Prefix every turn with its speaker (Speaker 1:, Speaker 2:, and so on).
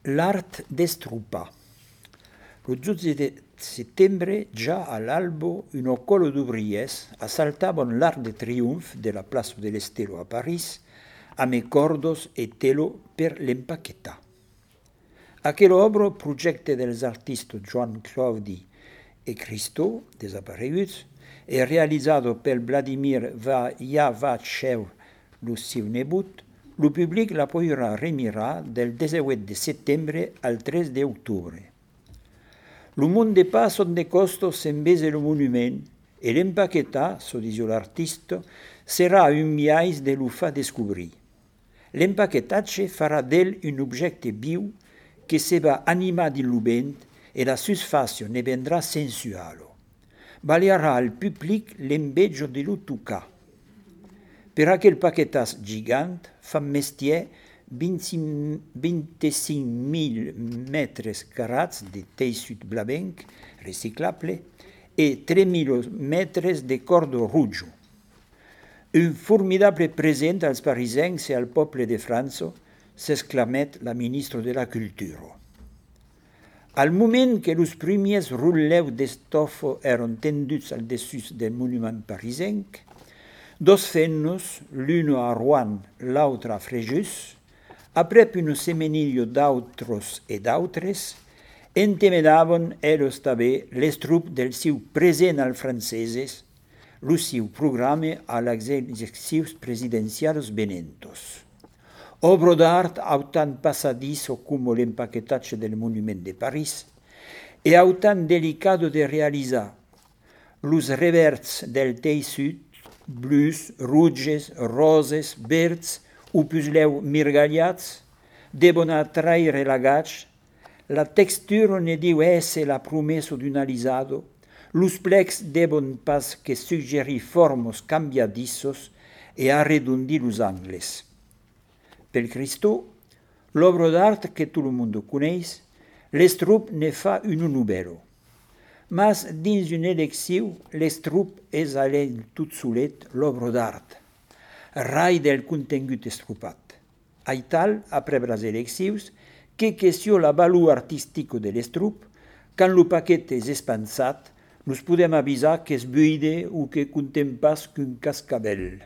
Speaker 1: L'art d'estrupa. Lo 12 settembre, già all'albo, un colo d'ouvriers assaltavano l'Arc de Triomphe della Place de l'Estero a París amb cordos e telo per l'empaquetar. Aquell obra, projecte dels artistes Joan Claudi e Christo, desapareguts, e realizzato per Vladimir Yavachev, lo seu nebot, lo public la podrà remirar del 18 de settembre al 3 d'octubre. Lo món de pas on de costos s'embese lo monument e l'empaquetar, so dice l'artista, serà un viatge de lo fa descobrir. L'empaquetatge farà d'ell un objecte viu che se va animar di lo vent e la susfazione ne vendrà sensuale. Valierà al pubblic l'embeggio di lo toccar. Per aquel paquetas gigant fa mestier 25.000 metres carats de teixit blavenc reciclable e 3.000 metres de cordo rouge. Un formidable present als parisiens e al poble de França, s'exclamet la ministra de la Cultura. Al moment que los primers rulleus d'estofa eren tenduts al dessus del monument parisenc, dos fennos, l'uno a Rouen, l'altre a Fréjus, après un semenillo d'autres e d'autres, entemedaven ellos també l'estrop del seu present al franceses, lo seu programa als exercicis presidencials venentos. Obra d'art autant passadizo come l'empaquetatge del monument de París e autant delicato de realitzar. Los revers del teixit, blues, rouges, roses, verds, o pusleu mirgallats, devono attraire la gaccia, la textura ne deu essere la promessa d'un alisado, los plecs devono pas che suggerir formos cambiadissos e arredondir los angles. Per Cristo, l'obra d'art che tot el mondo coneix, l'estrop ne fa un novello. Mas dins un elecció, l'estrop és a l'ell tot solet l'obra d'art, rai del contengut estropat. Aital, après les eleccions, que question la valor artística de l'estrop, quand lo paquet és espansat, nos podem avisar que és buide o que contem pas qu'un cascabel.